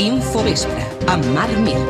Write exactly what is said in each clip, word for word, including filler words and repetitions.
Infovespre, amb Marc Mir.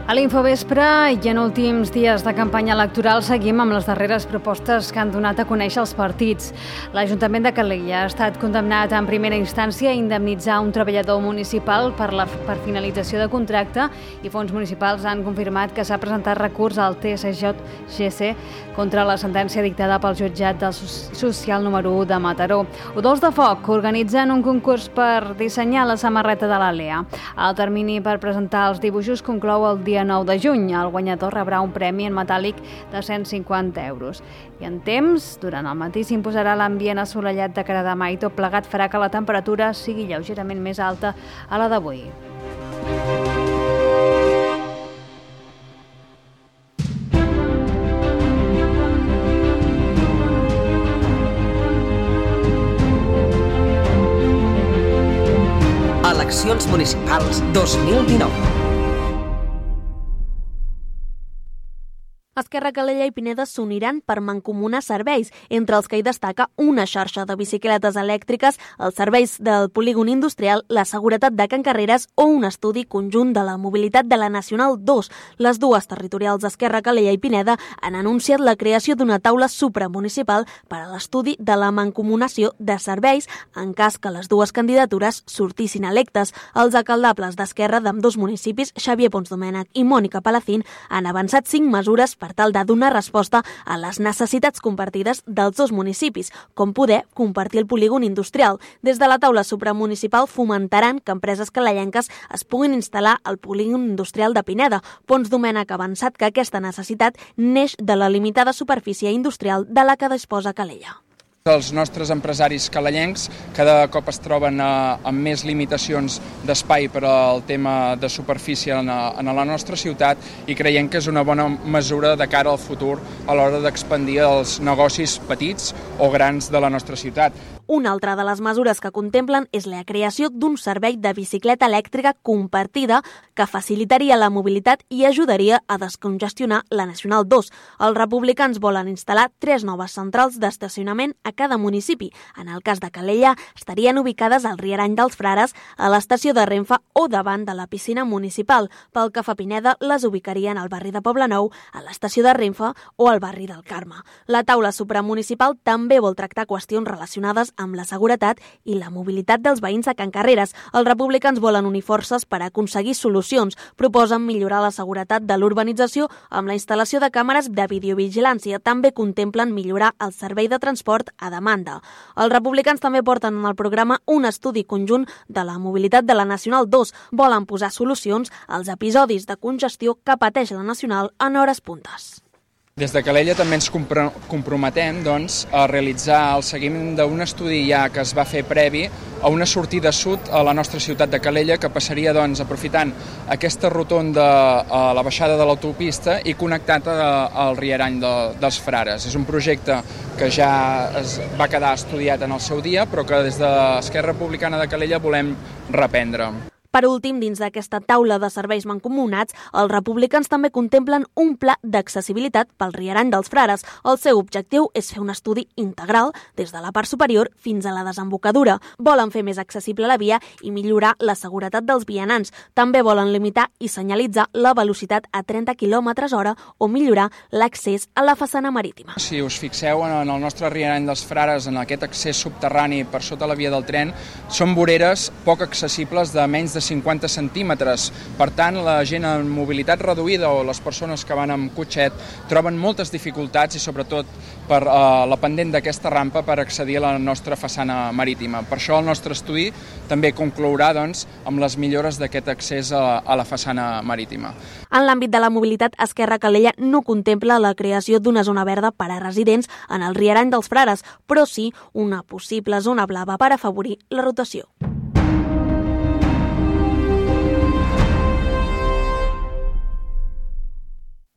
A l'Infovespre i en últims dies de campanya electoral seguim amb les darreres propostes que han donat a conèixer els partits. L'Ajuntament de Calella ha estat condemnat en primera instància a indemnitzar un treballador municipal per, la, per finalització de contracte i fons municipals han confirmat que s'ha presentat recurs al T S J G C contra la sentència dictada pel jutjat del social número u de Mataró. Udols de Foc organitzen un concurs per dissenyar la samarreta de l'A L E A. El termini per presentar els dibuixos conclou el dia nou de juny. El guanyador rebrà un premi en metàl·lic de cent cinquanta euros. I en temps, durant el matí s'imposarà l'ambient assolellat de cara a demà i tot plegat farà que la temperatura sigui lleugerament més alta a la d'avui. Eleccions municipals dos mil dinou. Esquerra, Calella i Pineda s'uniran per mancomunar serveis, entre els que hi destaca una xarxa de bicicletes elèctriques, els serveis del polígon industrial, la seguretat de Can Carreres o un estudi conjunt de la mobilitat de la Nacional dos. Les dues territorials d'Esquerra, Calella i Pineda han anunciat la creació d'una taula supramunicipal per a l'estudi de la mancomunació de serveis en cas que les dues candidatures sortissin electes. Els alcaldables d'Esquerra d'ambdós municipis, Xavier Ponsdomènech i Mònica Palacín, han avançat cinc mesures per per tal de donar resposta a les necessitats compartides dels dos municipis, com poder compartir el polígon industrial. Des de la taula supramunicipal fomentaran que empreses calellenques es puguin instal·lar al polígon industrial de Pineda. Ponsdomènech ha avançat que aquesta necessitat neix de la limitada superfície industrial de la que disposa Calella. Els nostres empresaris calellencs cada cop es troben a, amb més limitacions d'espai per al tema de superfície en, a, en la nostra ciutat i creiem que és una bona mesura de cara al futur a l'hora d'expandir els negocis petits o grans de la nostra ciutat. Una altra de les mesures que contemplen és la creació d'un servei de bicicleta elèctrica compartida que facilitaria la mobilitat i ajudaria a descongestionar la Nacional dos. Els republicans volen instal·lar tres noves centrals d'estacionament a cada municipi. En el cas de Calella, estarien ubicades al Rierany dels Frares, a l'estació de Renfe o davant de la piscina municipal. Pel que fa a Pineda, les ubicarien al barri de Poblenou, a l'estació de Renfe o al barri del Carme. La taula supramunicipal també vol tractar qüestions relacionades amb la seguretat i la mobilitat dels veïns de Can Carreres. Els republicans volen unir forces per aconseguir solucions. Proposen millorar la seguretat de l'urbanització amb la instal·lació de càmeres de videovigilància. També contemplen millorar el servei de transport a demanda. Els republicans també porten en el programa un estudi conjunt de la mobilitat de la Nacional dos. Volen posar solucions als episodis de congestió que pateix la Nacional en hores puntes. Des de Calella també ens comprometem doncs, a realitzar el seguiment d'un estudi ja que es va fer previ a una sortida sud a la nostra ciutat de Calella que passaria doncs, aprofitant aquesta rotonda a la baixada de l'autopista i connectat al Rierany de, dels Frares. És un projecte que ja es va quedar estudiat en el seu dia però que des de l'Esquerra Republicana de Calella volem reprendre. Per últim, dins d'aquesta taula de serveis mancomunats, els republicans també contemplen un pla d'accessibilitat pel Rierany dels Frares. El seu objectiu és fer un estudi integral des de la part superior fins a la desembocadura. Volen fer més accessible la via i millorar la seguretat dels vianants. També volen limitar i senyalitzar la velocitat a trenta quilòmetres hora o millorar l'accés a la façana marítima. Si us fixeu en el nostre Rierany dels Frares, en aquest accés subterrani per sota la via del tren, són voreres poc accessibles de menys de cinquanta centímetres. Per tant, la gent amb mobilitat reduïda o les persones que van amb cotxet troben moltes dificultats i sobretot per eh, la pendent d'aquesta rampa per accedir a la nostra façana marítima. Per això el nostre estudi també conclourà doncs, amb les millores d'aquest accés a, a la façana marítima. En l'àmbit de la mobilitat, Esquerra Calella no contempla la creació d'una zona verda per a residents en el Rierany dels Frares, però sí una possible zona blava per afavorir la rotació.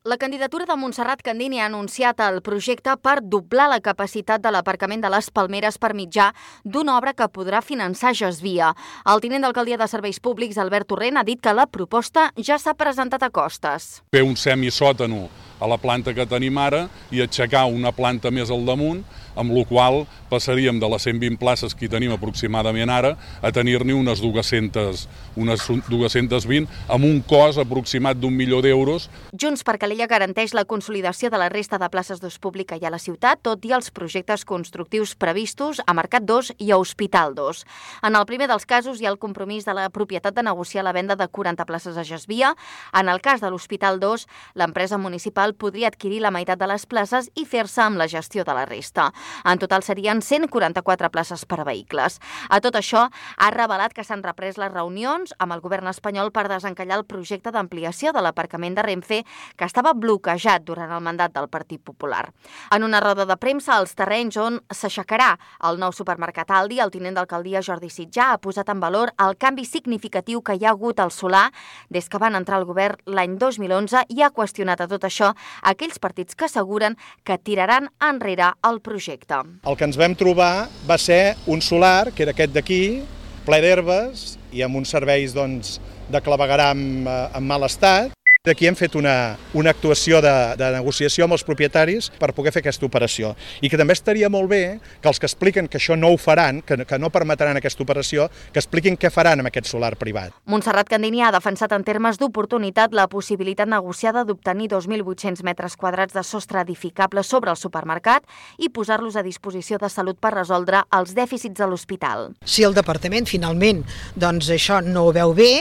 La candidatura de Montserrat Candini ha anunciat el projecte per doblar la capacitat de l'aparcament de les Palmeres per mitjà d'una obra que podrà finançar Gesvia. El tinent d'alcaldia de Serveis Públics, Albert Torrent, ha dit que la proposta ja s'ha presentat a Costes. Fer un semisòtano a la planta que tenim ara i aixecar una planta més al damunt, amb la qual passaríem de les cent vint places que hi tenim aproximadament ara a tenir-ne unes dues-centes, unes dues-centes vint amb un cost aproximat d'un milió d'euros. Junts per Calella garanteix la consolidació de la resta de places d'ús pública i a la ciutat, tot i els projectes constructius previstos a Mercat dos i a Hospital dos. En el primer dels casos hi ha el compromís de la propietat de negociar la venda de quaranta places a Gesvia. En el cas de l'Hospital dos, l'empresa municipal podria adquirir la meitat de les places i fer-se amb la gestió de la resta. En total serien cent quaranta-quatre places per a vehicles. A tot això, ha revelat que s'han reprès les reunions amb el govern espanyol per desencallar el projecte d'ampliació de l'aparcament de Renfe que estava bloquejat durant el mandat del Partit Popular. En una roda de premsa, als terrenys on s'aixecarà el nou supermercat Aldi, el tinent d'alcaldia Jordi Sitjà ha posat en valor el canvi significatiu que hi ha hagut al solar des que van entrar al govern l'any dos mil onze i ha qüestionat a tot això aquells partits que asseguren que tiraran enrere el projecte. El que ens vam trobar va ser un solar, que era aquest d'aquí, ple d'herbes i amb uns serveis doncs, de clavegueram en mal estat. Aquí hem fet una, una actuació de, de negociació amb els propietaris per poder fer aquesta operació. I que també estaria molt bé que els que expliquen que això no ho faran, que, que no permetran aquesta operació, que expliquin què faran amb aquest solar privat. Montserrat Candini ha defensat en termes d'oportunitat la possibilitat negociada d'obtenir dos mil vuit-cents metres quadrats de sostre edificable sobre el supermercat i posar-los a disposició de Salut per resoldre els dèficits de l'hospital. Si el departament finalment doncs, això no ho veu bé,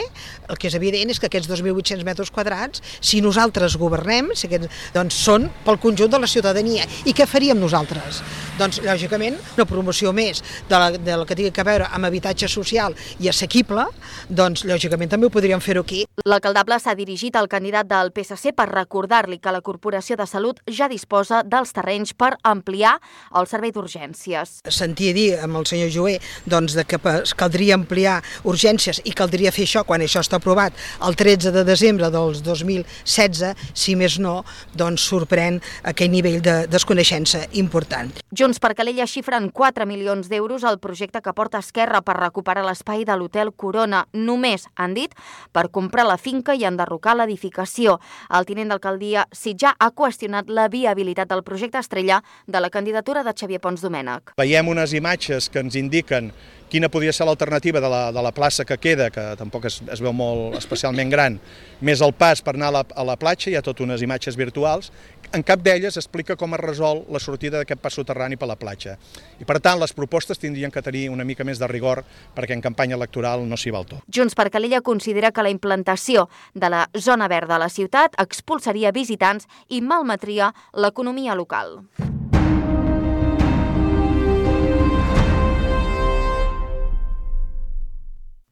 el que és evident és que aquests dos mil vuit-cents metres quadrats, si nosaltres governem, si aquests, doncs són pel conjunt de la ciutadania. I què faríem nosaltres? Doncs, lògicament, una promoció més de la, de la que tingui a veure amb habitatge social i assequible, doncs, lògicament, també ho podríem fer aquí. L'alcaldable s'ha dirigit al candidat del P S C per recordar-li que la Corporació de Salut ja disposa dels terrenys per ampliar el servei d'urgències. Sentia dir amb el senyor Joé doncs, de que caldria ampliar urgències i caldria fer això quan això està aprovat el tretze de desembre dels dos mil setze, si més no, doncs sorprèn aquell nivell de desconeixença important. Junts per Calella xifren quatre milions d'euros al projecte que porta Esquerra per recuperar l'espai de l'Hotel Corona. Només, han dit, per comprar la finca i enderrocar l'edificació. El tinent d'alcaldia Sitjà ha qüestionat la viabilitat del projecte estrella de la candidatura de Xavier Pons Domènech. Veiem unes imatges que ens indiquen quina podria ser l'alternativa de, la, de la plaça que queda, que tampoc es, es veu molt especialment gran, més el pas per anar a la, a la platja, hi ha tot unes imatges virtuals. En cap d'elles explica com es resol la sortida d'aquest pas soterrani per la platja. I per tant, les propostes tindrien que tenir una mica més de rigor perquè en campanya electoral no s'hi val tot. Junts per Calella considera que la implantació de la zona verda a la ciutat expulsaria visitants i malmetria l'economia local.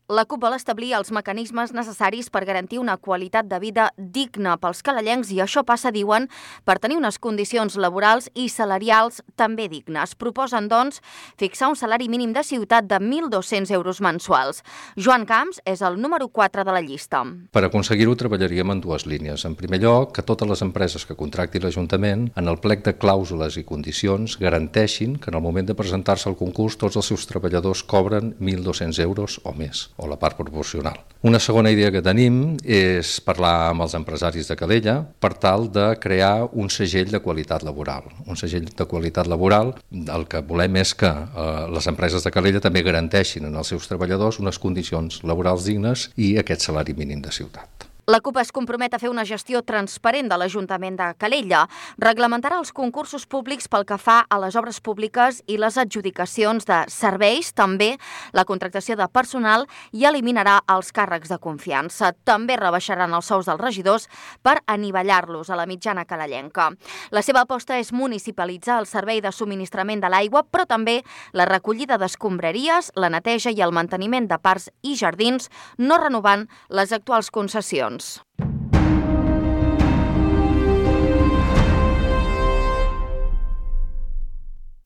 La CUP vol establir els mecanismes necessaris per garantir una qualitat de vida digna pels calellencs i això passa, diuen, per tenir unes condicions laborals i salarials també dignes. Proposen, doncs, fixar un salari mínim de ciutat de mil dos-cents euros mensuals. Joan Camps és el número quatre de la llista. Per aconseguir-ho treballaríem en dues línies. En primer lloc, que totes les empreses que contracti l'Ajuntament, en el plec de clàusules i condicions, garanteixin que en el moment de presentar-se al concurs tots els seus treballadors cobren mil dos-cents euros o més, o la part proporcional. Una segona idea que tenim és parlar amb els empresaris de Calella per tal de crear un segell de qualitat laboral. Un segell de qualitat laboral, el que volem és que eh, les empreses de Calella també garanteixin en els seus treballadors unes condicions laborals dignes i aquest salari mínim de ciutat. La CUP es compromet a fer una gestió transparent de l'Ajuntament de Calella. Reglamentarà els concursos públics pel que fa a les obres públiques i les adjudicacions de serveis, també la contractació de personal i eliminarà els càrrecs de confiança. També rebaixaran els sous dels regidors per anivellar-los a la mitjana calellenca. La seva aposta és municipalitzar el servei de subministrament de l'aigua, però també la recollida d'escombraries, la neteja i el manteniment de parcs i jardins, no renovant les actuals concessions.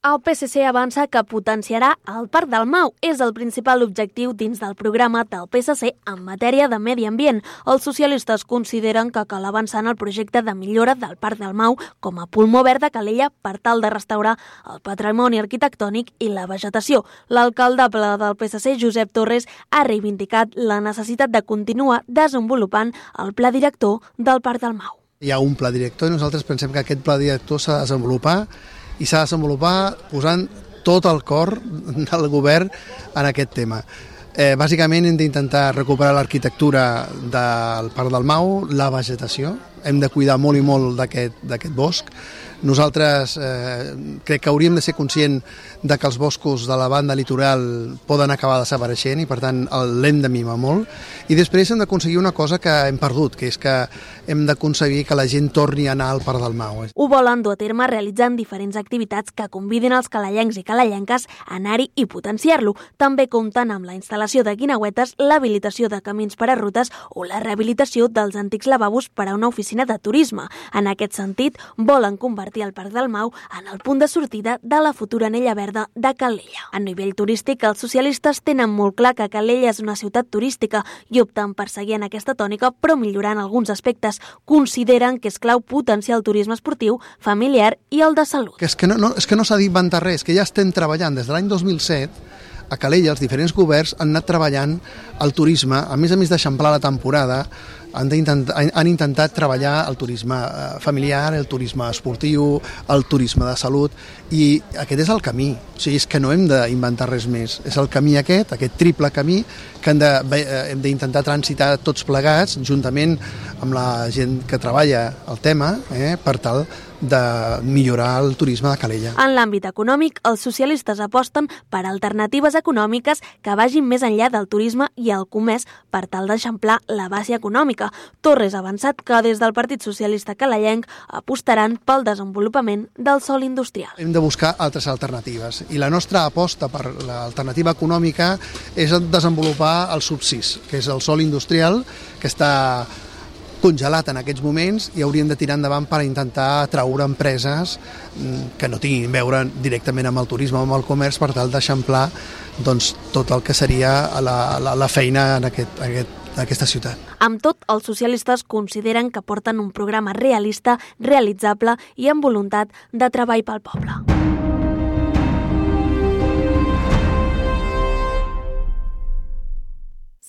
El P S C avança que potenciarà el Parc del Mau. És el principal objectiu dins del programa del P S C en matèria de medi ambient. Els socialistes consideren que cal avançar en el projecte de millora del Parc del Mau com a pulmó verd de Calella per tal de restaurar el patrimoni arquitectònic i la vegetació. L'alcaldable del P S C, Josep Torres, ha reivindicat la necessitat de continuar desenvolupant el pla director del Parc del Mau. Hi ha un pla director i nosaltres pensem que aquest pla director s'ha de desenvolupar i s'ha de desenvolupar posant tot el cor del govern en aquest tema. Eh, bàsicament hem d'intentar recuperar l'arquitectura del Parc del Mau, la vegetació, hem de cuidar molt i molt d'aquest d'aquest bosc. Nosaltres eh, crec que hauríem de ser conscients de que els boscos de la banda litoral poden acabar desapareixent i per tant l'hem de mimar molt. I després hem d'aconseguir una cosa que hem perdut, que és que hem d'aconseguir que la gent torni a anar al Parc del Mau. Ho volen dur a terme realitzant diferents activitats que convidin els calellencs i calellenques a anar-hi i potenciar-lo. També compten amb la instal·lació de guineuetes, l'habilitació de camins per a rutes o la rehabilitació dels antics lavabos per a una oficina de turisme. En aquest sentit, volen convertir el Parc del Mau en el punt de sortida de la futura anella verda de Calella. A nivell turístic, els socialistes tenen molt clar que Calella és una ciutat turística i opten per seguir en aquesta tònica, però millorant alguns aspectes. Consideren que és clau potenciar el turisme esportiu, familiar i el de salut. Que és que no, no, és que no s'ha d'inventar res, que ja estem treballant des de l'any dos mil set a Calella, els diferents governs han anat treballant el turisme, a més a més d'eixamplar la temporada, han, han intentat treballar el turisme familiar, el turisme esportiu, el turisme de salut, i aquest és el camí. O sigui, és que no hem d'inventar res més. És el camí aquest, aquest triple camí, que hem d'intentar transitar tots plegats, juntament amb la gent que treballa el tema, eh, per tal de millorar el turisme de Calella. En l'àmbit econòmic, els socialistes aposten per alternatives econòmiques que vagin més enllà del turisme i el comerç per tal d'eixamplar la base econòmica. Torres ha avançat que des del Partit Socialista Calellenc apostaran pel desenvolupament del sòl industrial. Hem de buscar altres alternatives i la nostra aposta per l'alternativa econòmica és desenvolupar el subsis, que és el sòl industrial que està congelat en aquests moments i hauríem de tirar endavant per intentar atraure empreses que no tinguin a veure directament amb el turisme o amb el comerç per tal d'eixamplar doncs, tot el que seria la, la, la feina en aquest, aquest, aquesta ciutat. Amb tot, els socialistes consideren que porten un programa realista, realitzable i amb voluntat de treball pel poble.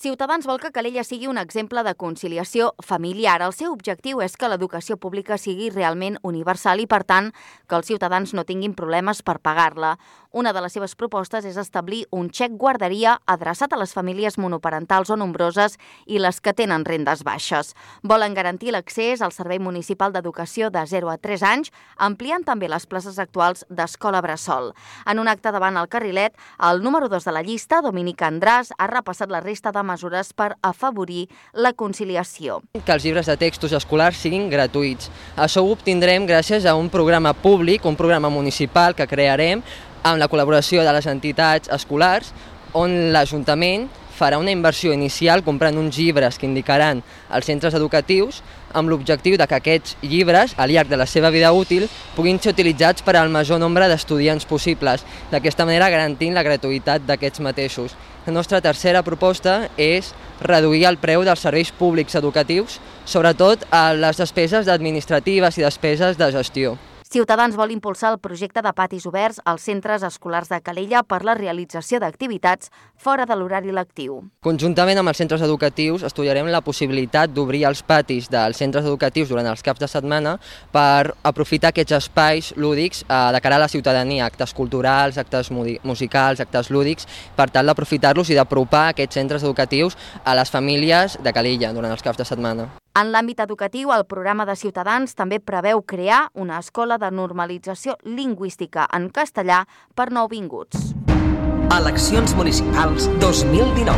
Ciutadans vol que Calella sigui un exemple de conciliació familiar. El seu objectiu és que l'educació pública sigui realment universal i, per tant, que els ciutadans no tinguin problemes per pagar-la. Una de les seves propostes és establir un xec guarderia adreçat a les famílies monoparentals o nombroses i les que tenen rendes baixes. Volen garantir l'accés al Servei Municipal d'Educació de zero a tres anys, ampliant també les places actuals d'escola bressol. En un acte davant el Carrilet, el número dos de la llista, Dominic Andràs, ha repassat la resta de mesures per afavorir la conciliació. Que els llibres de textos escolars siguin gratuïts. Això ho obtindrem gràcies a un programa públic, un programa municipal que crearem amb la col·laboració de les entitats escolars, on l'Ajuntament farà una inversió inicial comprant uns llibres que indicaran els centres educatius amb l'objectiu de que aquests llibres, al llarg de la seva vida útil, puguin ser utilitzats per al major nombre d'estudiants possibles, d'aquesta manera garantint la gratuïtat d'aquests mateixos. La nostra tercera proposta és reduir el preu dels serveis públics educatius, sobretot a les despeses administratives i despeses de gestió. Ciutadans vol impulsar el projecte de patis oberts als centres escolars de Calella per la realització d'activitats fora de l'horari lectiu. Conjuntament amb els centres educatius estudiarem la possibilitat d'obrir els patis dels centres educatius durant els caps de setmana per aprofitar aquests espais lúdics de cara a la ciutadania, actes culturals, actes musicals, actes lúdics, per tal d'aprofitar-los i d'apropar aquests centres educatius a les famílies de Calella durant els caps de setmana. En l'àmbit educatiu, el programa de Ciutadans també preveu crear una escola de normalització lingüística en castellà per nouvinguts. Eleccions municipals dos mil dinou.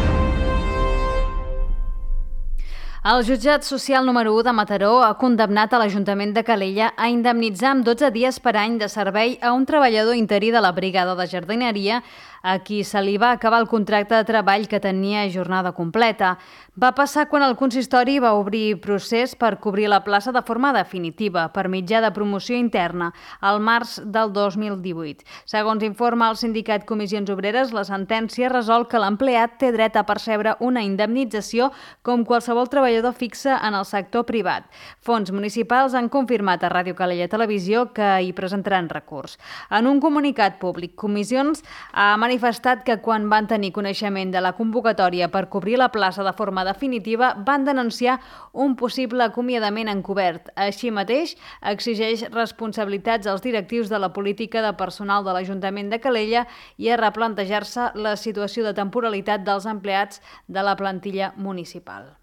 El jutjat social número u de Mataró ha condemnat a l'Ajuntament de Calella a indemnitzar amb dotze dies per any de servei a un treballador interí de la brigada de jardineria a qui se li va acabar el contracte de treball que tenia jornada completa. Va passar quan el consistori va obrir procés per cobrir la plaça de forma definitiva, per mitjà de promoció interna, al març del dos mil divuit. Segons informa el sindicat Comissions Obreres, la sentència resol que l'empleat té dret a percebre una indemnització com qualsevol treballador fixe en el sector privat. Fons municipals han confirmat a Ràdio Calella Televisió que hi presentaran recurs. En un comunicat públic, Comissions ha manifestat manifestat que quan van tenir coneixement de la convocatòria per cobrir la plaça de forma definitiva van denunciar un possible acomiadament encobert. Així mateix, exigeix responsabilitats als directius de la política de personal de l'Ajuntament de Calella i a replantejar-se la situació de temporalitat dels empleats de la plantilla municipal.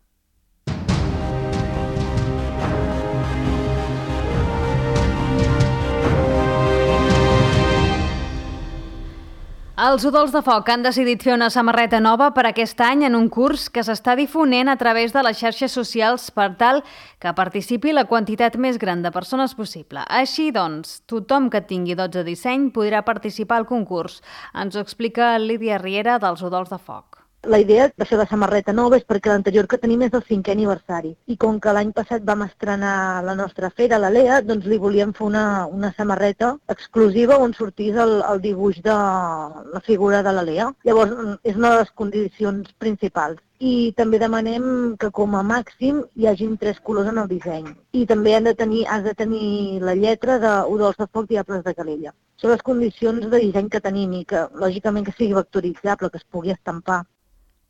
Els Udols de Foc han decidit fer una samarreta nova per aquest any en un curs que s'està difonent a través de les xarxes socials per tal que participi la quantitat més gran de persones possible. Així doncs, tothom que tingui dots de disseny podrà participar al concurs. Ens ho explica Lídia Riera dels Udols de Foc. La idea de fer la samarreta nova és perquè l'anterior que tenim és el cinquè aniversari. I com que l'any passat vam estrenar la nostra fera, la Lea, doncs li volíem fer una, una samarreta exclusiva on sortís el, el dibuix de la figura de la Lea. Llavors, és una de les condicions principals. I també demanem que com a màxim hi hagin tres colors en el disseny. I també han de tenir, has de tenir la lletra de Udols de Foc Diables de Calella. Són les condicions de disseny que tenim i que, lògicament, que sigui vectoritzable, que es pugui estampar.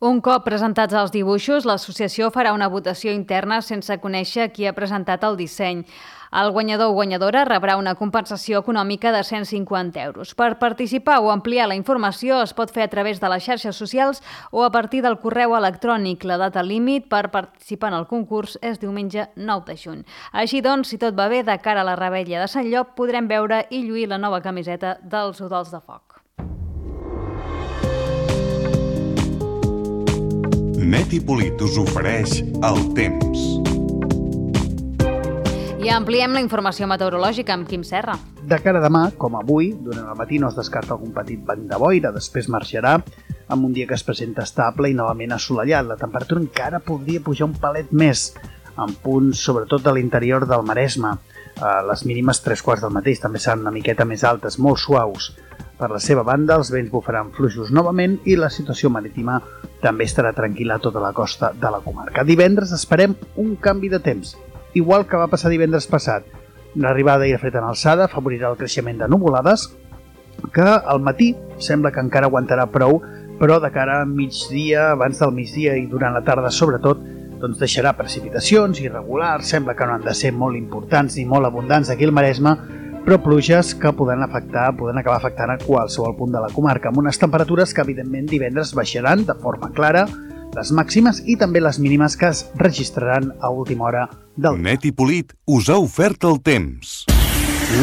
Un cop presentats els dibuixos, l'associació farà una votació interna sense conèixer qui ha presentat el disseny. El guanyador o guanyadora rebrà una compensació econòmica de cent cinquanta euros. Per participar o ampliar la informació es pot fer a través de les xarxes socials o a partir del correu electrònic. La data límit per participar en el concurs és diumenge nou de juny. Així doncs, si tot va bé, de cara a la revetlla de Sant Llop podrem veure i lluir la nova camiseta dels Udols de Foc. Net i Polit us ofereix el temps. I ampliem la informació meteorològica amb Quim Serra. De cara a demà, com avui, durant el matí no es descarta algun petit vent de boira, després marxarà amb un dia que es presenta estable i novament assolellat. La temperatura encara podria pujar un palet més, en punts sobretot de l'interior del Maresme. Les mínimes tres quarts del mateix també seran una miqueta més altes, molt suaus. Per la seva banda, els vents bufaran fluixos novament i la situació marítima també estarà tranquil·la a tota la costa de la comarca. Divendres esperem un canvi de temps, igual que va passar divendres passat. L'arribada d'aire fred en alçada afavorirà el creixement de nuvolades, que al matí sembla que encara aguantarà prou, però de cara a migdia, abans del migdia i durant la tarda sobretot, doncs deixarà precipitacions irregulars, sembla que no han de ser molt importants ni molt abundants aquí al Maresme, però pluges que poden afectar, poden acabar afectant a qualsevol punt de la comarca, amb unes temperatures que evidentment divendres baixaran de forma clara, les màximes i també les mínimes que es registraran a última hora del dia. Net i Polit us ha ofert el temps.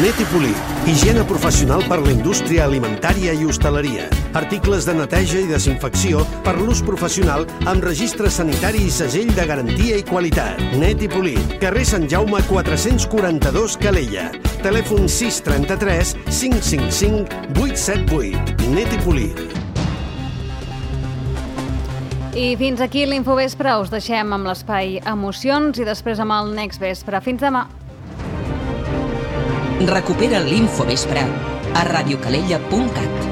Net i Polit, higiene professional per la indústria alimentària i hostaleria. Articles de neteja i desinfecció per l'ús professional amb registre sanitari i segell de garantia i qualitat. Net i Polit, carrer Sant Jaume quatre-cents quaranta-dos Calella. Telèfon sis trenta-tres cinc cinc cinc vuit set vuit. Net i Polit. I fins aquí l'Infovespre. Us deixem amb l'espai Emocions i després amb el Next Vespre. Fins demà. Recupera l'Infovespre a radiocalella punt cat.